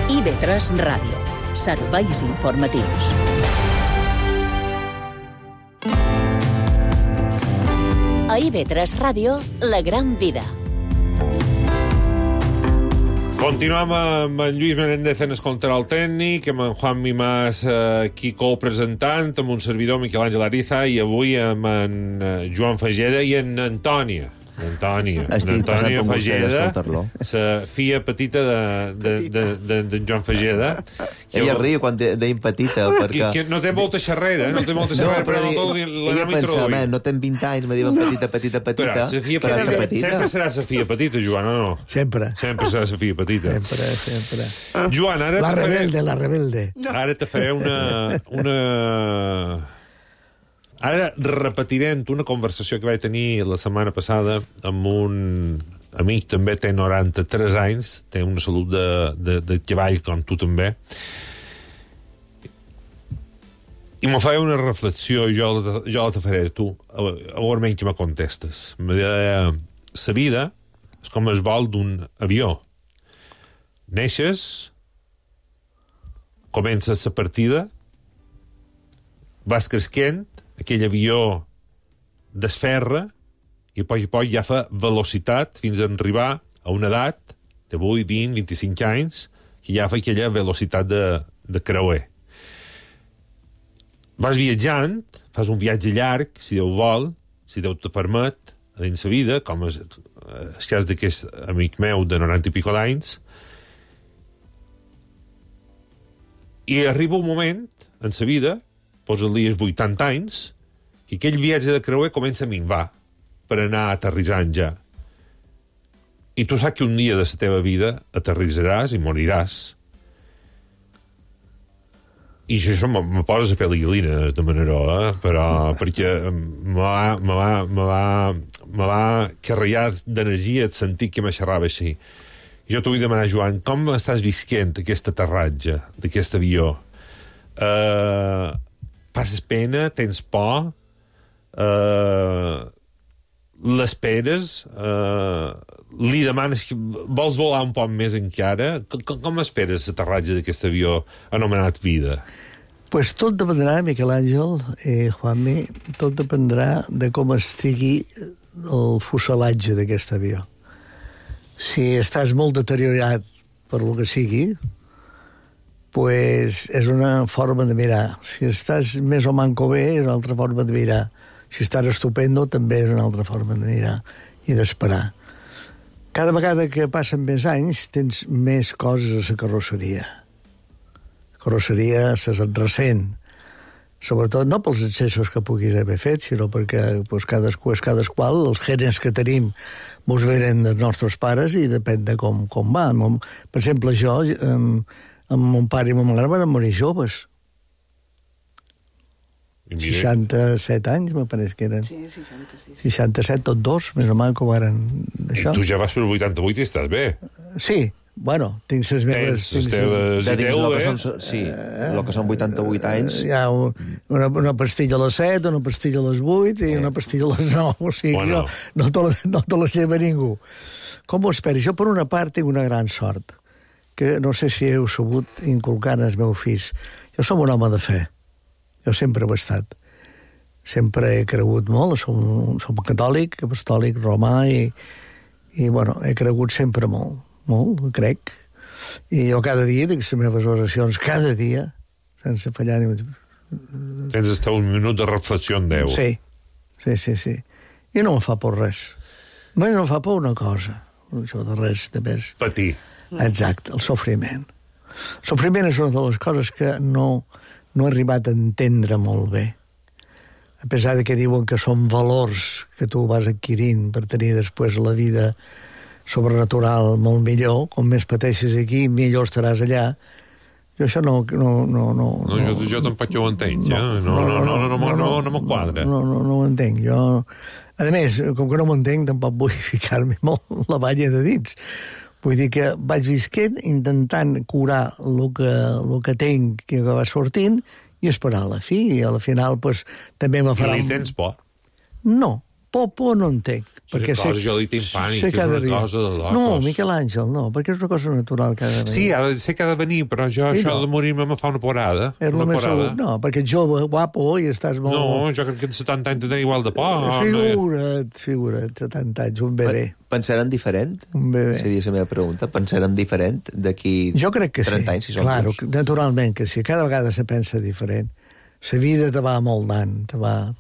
IB3 Ràdio. Serveis informatius. A IB3 Ràdio, la gran vida. Continuem amb en Lluís Menéndez en el control tècnic, amb en Juan Mimàs aquí co-presentant, amb un servidor Miquel Àngel Ariza, i avui amb en Joan Fageda i en Antònia. Antònia Fageda, la filla petita de Joan Fageda. Ella riu quan deim petita, perquè... No té molta xerrera, però ella pensa, no ten 20 anys, me diuen petita, però sempre serà la filla petita, Joan, o no? Sempre serà la filla petita. Sempre. Joan, ara... La rebelde. Ara te faré una... Ara repetirem una conversació que vaig tenir la setmana passada amb un amic, també té 93 anys, té una salut de cavall com tu també, i me feia una reflexió, i jo la te faré a tu, a veure menys que me contestes. Me deia, la vida és com el vol d'un avió. Neixes, comences la partida, vas creixent, aquell avió desferra i a poc ja fa velocitat fins a arribar a una edat de 8, 20, 25 anys que ja fa aquella velocitat de creuer. Vas viatjant, fas un viatge llarg, si Déu vol, si Déu te permet, dins la vida, com el cas d'aquest amic meu de 90 i pico d'anys, i arriba un moment en la vida, posa-li els 80 anys, i aquell viatge de creuer comença a minvar per anar aterrissant ja. I tu saps que un dia de la teva vida aterrissaràs i moriràs. I això me posa la pell de gallina de manera, però perquè me va carregar d'energia el sentit que me xerrava així. Jo t'ho vull demanar, Joan, com estàs visquent aquest aterratge d'aquest avió? Passes pena? Tens por? L'esperes? Li demanes que vols volar un poc més encara? Com esperes l'aterratge d'aquest avió anomenat vida? Pues tot dependrà, Miquel Àngel i Juanmi, tot dependrà de com estigui el fuselatge d'aquest avió. Si estàs molt deteriorat per lo que sigui, pues és una forma de mirar. Si estàs més o manco bé, és una altra forma de mirar. Si estàs estupendo, també és una altra forma de mirar i d'esperar. Cada vegada que passen més anys, tens més coses a la carrosseria. La carrosseria se se'n ressent. Sobretot no pels excessos que puguis haver fet, sinó perquè pues, cadasqual, els genes que tenim mos venen dels nostres pares i depèn de com va. Per exemple, jo, amb mon pare i mon mare van morir joves. 67 anys, me pareix que eren. Sí, 66. 67, tots dos, més o menys, que varen d'això. I tu ja vas per 88 i estàs bé. Sí, bueno, tinc les meves... Tens les teves idees, Sí, el que són 88 anys... Hi ha una pastilla a les 7, una pastilla a les 8 i una pastilla a les 9. O sigui, bueno. No te les lleva ningú. Com ho esperi? Jo, per una part, tinc una gran sort, que no sé si heu sabut inculcar als meus fills. Jo som un home de fe. Jo sempre ho he estat. Sempre he cregut molt. Som catòlic, apostòlic, romà i bueno, he cregut sempre molt. Molt, crec. I jo cada dia dic les meves oracions, cada dia, sense fallar ni... Tens estar un minut de reflexió en Déu. Sí. I no em fa por res. No em fa por una cosa, això de res de més. Patir. Exacte, el sofriment. El sofriment és una de les coses que no he arribat a entendre molt bé. A pesar de que diuen que són valors que tu vas adquirint per tenir després la vida sobrenatural molt millor, com més pateixes aquí, millor estaràs allà. Jo això no... Jo tampoc ho entenc, ja. No me quadra. No ho entenc. Jo, a més, com que no m'ho entenc, tampoc vull ficar-me molt la banya de dits. Vull dir que vaig visquent intentant curar el que tinc, que va sortint, i esperar a la fi. I a la final, pues, també me farà... I li tens por? No, por no en tenc. Perquè jo li tinc pànic, que és una cosa de locos. No, Miquel Àngel, no, perquè és una cosa natural que ha de venir. Sí, sé que ha de venir, però jo això de morir-me me fa una porada. No, perquè ets jove, guapo, i estàs molt... No, jo crec que en 70 anys tenen igual de por. Figura't, 70 anys, un bebè. Pensarem diferent? Un bebè. Seria la meva pregunta. Pensarem diferent d'aquí 30 anys, si som claro, naturalment que sí. Cada vegada se pensa diferent. La vida te va moldant, te va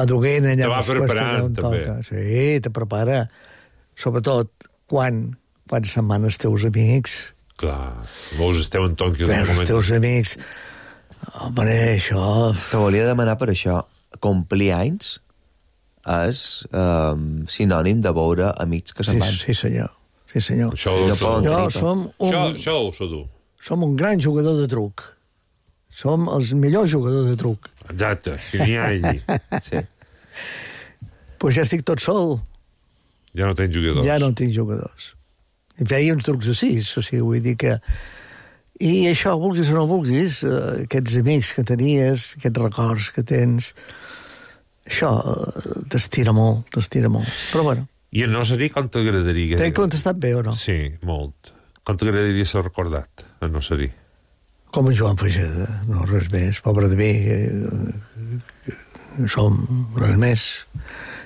duguent allà... Te va preparant, també. Sí, te prepara. Sobretot quan se'n van els teus amics. Clar, veus el teu entorn... Veus els teus amics. Home, això... Te volia demanar per això. Complir anys és sinònim de veure amics que se'n van. Sí, senyor. Això ho sé dur. Som un gran jugador de truc. Som els millors jugadors de truc. Exacte, que n'hi ha allí. Sí. Pues ja estic tot sol. Ja no tens jugadors. Ja no tinc jugadors. I feia uns trucs de 6, o sigui, vull dir que... I això, vulguis o no vulguis, aquests amics que tenies, aquests records que tens, això t'estira molt. Però bueno. I en Nocerí, com t'agradaria? T'he contestat bé o no? Sí, molt. Com t'agradaria ser recordat, en Nocerí? Com en Joan Feixeda, no, res més. Pobre de mi, som res més.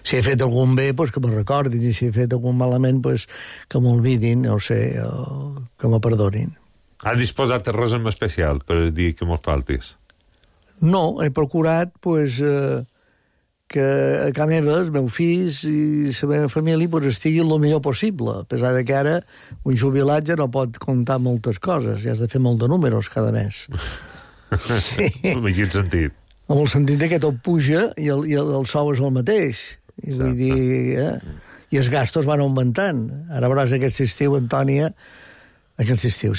Si he fet algun bé, pues que me'l recordin, i si he fet algun malament, pues que m'olvidin, no sé, o que me perdonin. Has disposat de res en especial per dir que me'ls faltis? No, he procurat, pues, que a casa meva, els meus fills i la meva família pues, estiguin el millor possible, a pesar de que ara un jubilat ja no pot comptar moltes coses, ja has de fer molt de números cada mes. Sí. En quin sentit? En el sentit que tot puja i el sou és el mateix. I vull dir, i els gastos van augmentant. Ara veuràs aquest estiu, Antònia, aquest estiu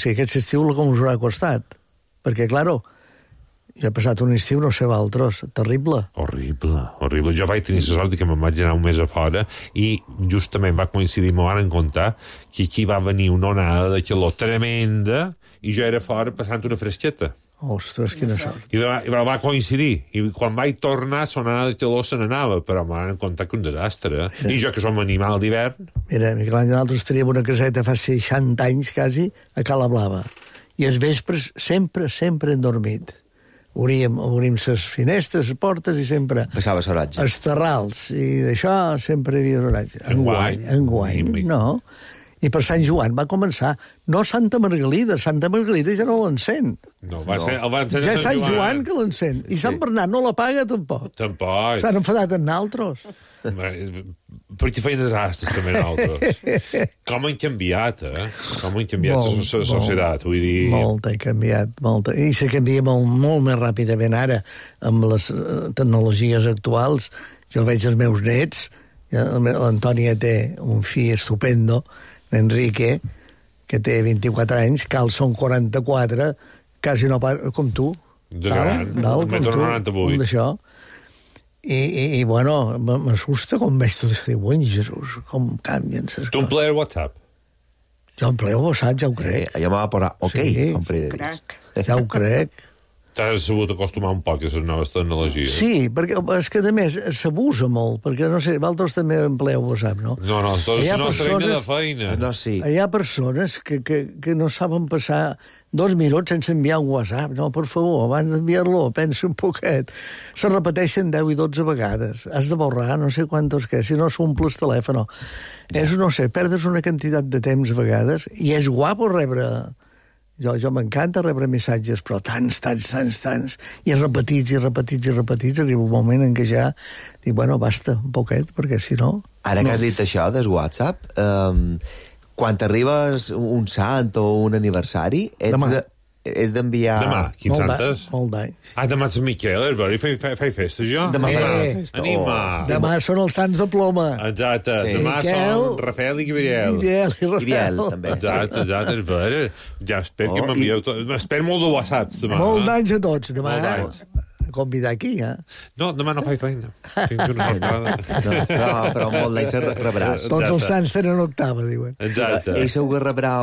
com us haurà costat. Perquè, claro, jo he passat un estiu, no sé valtros, terrible. Horrible. Jo vaig tenir la sort que me'n vaig anar un mes a fora i justament va coincidir, m'ho van contar, que aquí va venir una onada de calor tremenda i jo era fora passant una fresqueta. Ostres, quina sort. I va coincidir. I quan vaig tornar, la onada de calor se n'anava, però m'ho van contar que un desastre. I jo, que som animal d'hivern... Mira, Miquel Àngel, nosaltres teníem una caseta fa 60 anys, quasi, a Cala Blava. I els vespres sempre hem dormit. obrim les finestres, les portes, i sempre... Passava l'oratge. Els terrals, i d'això sempre hi havia l'oratge. Enguany, no. I per Sant Joan va començar, no Santa Margalida ja no l'encén. No, el va encendre ja Sant Sant Joan que l'encén. I Sant Bernat no la paga, tampoc. Tampoc. S'han enfadat en altres. Perquè feien desastres, també, nosaltres. Com han canviat, Com han canviat la societat, vull dir... Molt ha canviat, molt. I se canvia molt més ràpidament ara, amb les tecnologies actuals. Jo veig els meus nets, l'Antònia té un fill estupendo, l'Enrique, que té 24 anys, Cal són 44, quasi no parla, com tu. Dalt, com tu, un d'això. I bueno, m'assusta com veig tot això. Diu, Jesús, com canvien les coses. Tu emplees WhatsApp? Jo empleo WhatsApp, ja ho crec. Jo m'ha posat ok, fa un parell de dies. Ja ho crec. T'has sabut acostumar un poc a les noves tecnologies. Sí, perquè és que, a més, s'abusa molt, perquè, no sé, vosaltres també empleu WhatsApp, no? No, tot és nostra eina de feina. No, sí. Hi ha persones que no saben passar 2 minuts sense enviar un WhatsApp. No, per favor, abans d'enviar-lo, pensa un poquet. Se repeteixen 10 i 12 vegades. Has de borrar no sé quantos que, si no s'omple el telèfon. És, no sé, perdes una quantitat de temps a vegades, i és guapo rebre... Jo m'encanta rebre missatges, però tants, i repetits, arriba un moment en què ja dic, bueno, basta, un poquet, perquè si no... Ara que has dit això del WhatsApp, quan t'arribes un sant o un aniversari, és d'enviar... Demà, quins santes? Molt d'anys. Demà és Miquel, és veritat, fai festa, jo? Demà festa. Demà són els sants de ploma. Exacte, demà són Rafael i Gabriel. Gabriel, també. Exacte, és veritat. Ja espero que m'envieu tot. Espero molt de WhatsApps, demà. Molt d'anys a tots, demà. Molt d'anys. Convidar aquí, No, demà no faig feina. Tinc una jornada. No, però molt d'anys rebràs. Tots els sants tenen octava, diuen. Exacte. Ell segur que rebrà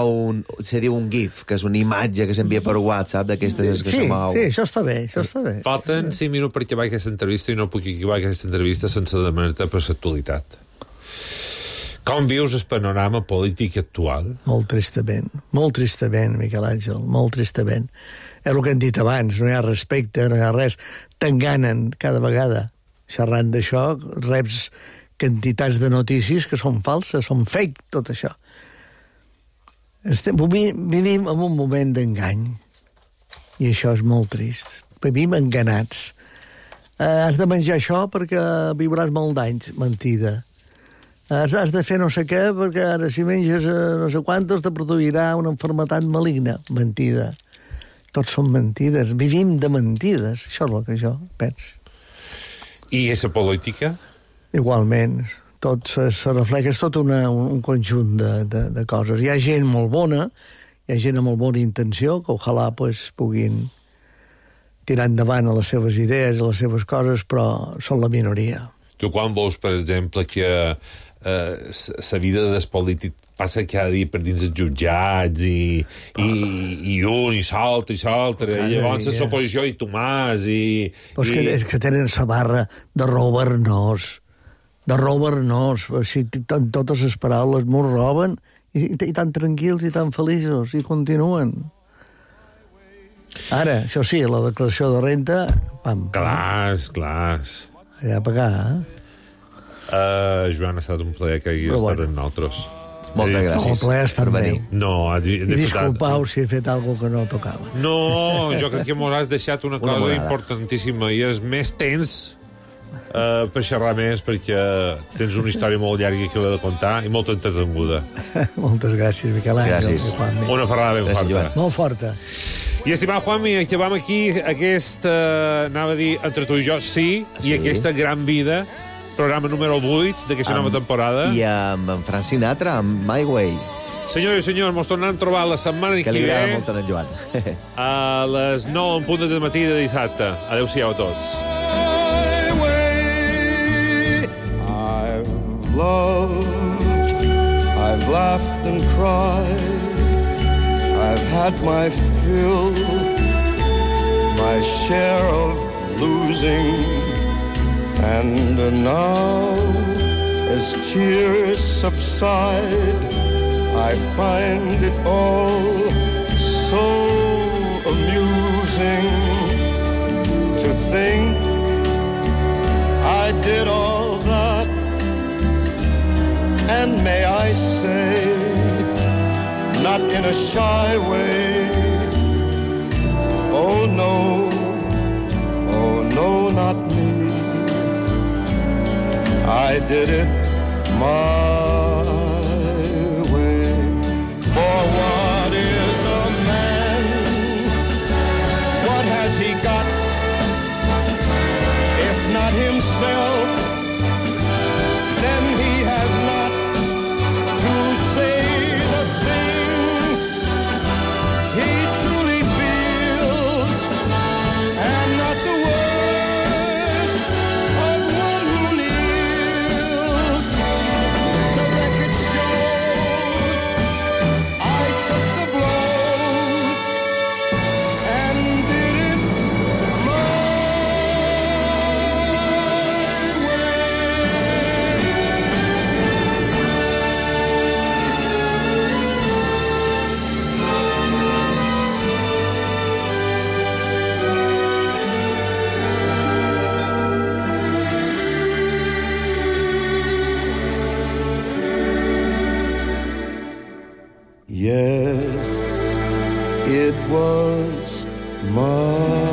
se diu un GIF, que és una imatge que s'envia per WhatsApp d'aquestes que se mou. Sí, això està bé, Falten 5 minuts perquè vaig aquesta entrevista i no puc acabar aquesta entrevista sense demanar-te per l'actualitat. Com vius el panorama polític actual? Molt tristament, Miquel Àngel, molt tristament. És el que hem dit abans, no hi ha respecte, no hi ha res. T'enganen cada vegada. Xerrant d'això, reps quantitats de notícies que són falses, són fake, tot això. Vivim en un moment d'engany, i això és molt trist. Vivim enganats. Has de menjar això perquè viuràs molt d'anys. Mentida. Has de fer no sé què perquè ara si menges no sé quantos te produirà una malaltia maligna. Mentida. Tots són mentides. Vivim de mentides. Això és el que jo penso. I la política? Igualment. Tot se reflexa, és tot un conjunt de coses. Hi ha gent molt bona, hi ha gent amb molt bona intenció, que ojalà puguin tirar endavant a les seves idees, a les seves coses, però són la minoria. Tu quan veus, per exemple, que la vida del polític passa cada dia per dins els jutjats i un, i l'altre, i llavors l'oposició i Tomàs, Però és que tenen la barra de robar-nos, així, totes les paraules m'ho roben, i tan tranquils i tan feliços, i continuen. Ara, això sí, la declaració de renta, pam. Clar. Allà a pagar, Joan, ha estat un plaer que haguis estat amb nosaltres. Moltes gràcies. El plaer ha estat meu. No, I disculpau si he fet alguna que no tocava. No, jo crec que m'hauràs deixat una cosa importantíssima, i és més temps per xerrar més, perquè tens una història molt llarga que heu de contar i molt entretenguda. Moltes gràcies, Miquel Àngel. Una ferrada ben forta. Molt forta. I, estimat Juanmi, acabam aquí aquesta, anava a dir, entre tu i jo, i aquesta gran vida, programa número 8 d'aquesta nova temporada. I amb en Frank Sinatra, amb My Way. Senyors i senyors, mos tornem a trobar la setmana que ve. Que li agrada molt a en Joan. A les 9 en punt de matí de dissabte. Adéu-siau a tots. I've loved, I've laughed and cried, I've had my fill, my share of losing, and now, as tears subside, I find it all so amusing. And may I say, not in a shy way, oh no, not me. I did it my way. For what is a man? What has he got? If not himself, then he has not to say the things he truly feels, and not the words of one who kneels. The record shows I took the blows and did it my Yes, it was my